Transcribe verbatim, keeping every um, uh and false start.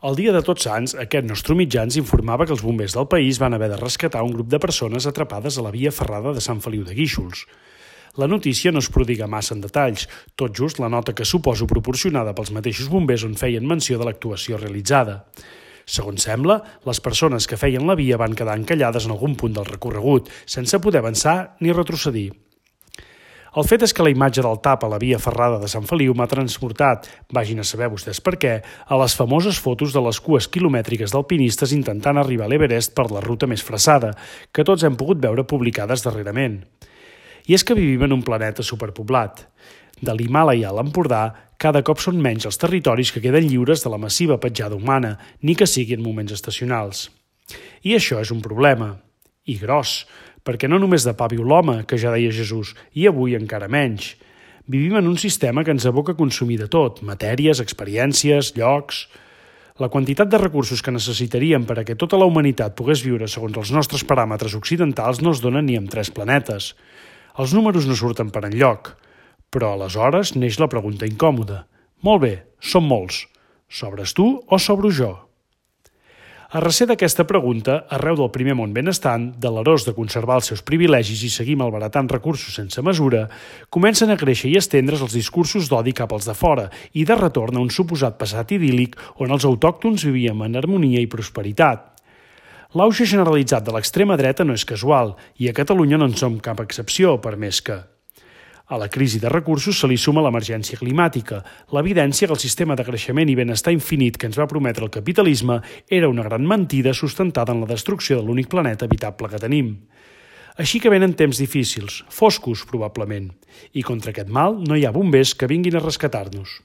El dia de Tots Sants, aquest nostre mitjà ens informava que els bombers del país van haver de rescatar un grup de persones atrapades a la via ferrada de Sant Feliu de Guíxols. La notícia no es prodiga massa en detalls, tot just la nota que suposo proporcionada pels mateixos bombers on feien menció de l'actuació realitzada. Segons sembla, les persones que feien la via van quedar encallades en algun punt del recorregut, sense poder avançar ni retrocedir. El fet és que la imatge del tap a la via ferrada de Sant Feliu m'ha transportat, vagin a saber vostès per què, a les famoses fotos de les cues quilomètriques d'alpinistes intentant arribar a l'Everest per la ruta més fressada, que tots hem pogut veure publicades darrerament. I és que vivim en un planeta superpoblat. De l'Himàlaia a l'Empordà, cada cop són menys els territoris que queden lliures de la massiva petjada humana, ni que sigui en moments estacionals. I això és un problema. I gros, perquè no només de pa viu l'home, que ja deia Jesús, i avui encara menys. Vivim en un sistema que ens aboca a consumir de tot, matèries, experiències, llocs. La quantitat de recursos que necessitaríem per a que tota la humanitat pogués viure segons els nostres paràmetres occidentals no es donen ni amb tres planetes. Els números no surten per enlloc, però aleshores neix la pregunta incòmoda. Molt bé, som molts. Sobres tu o sobro jo? A recer d'aquesta pregunta, arreu del primer món benestant, delerós de conservar els seus privilegis i seguir malbaratant recursos sense mesura, comencen a créixer i estendre's els discursos d'odi cap als de fora i de retorn a un suposat passat idíl·lic on els autòctons vivíem en harmonia i prosperitat. L'auge generalitzat de l'extrema dreta no és casual, i a Catalunya no en som cap excepció, per més que... A la crisi de recursos se li suma l'emergència climàtica, l'evidència que el sistema de creixement i benestar infinit que ens va prometre el capitalisme era una gran mentida sustentada en la destrucció de l'únic planeta habitable que tenim. Així que venen temps difícils, foscos probablement, i contra aquest mal no hi ha bombers que vinguin a rescatar-nos.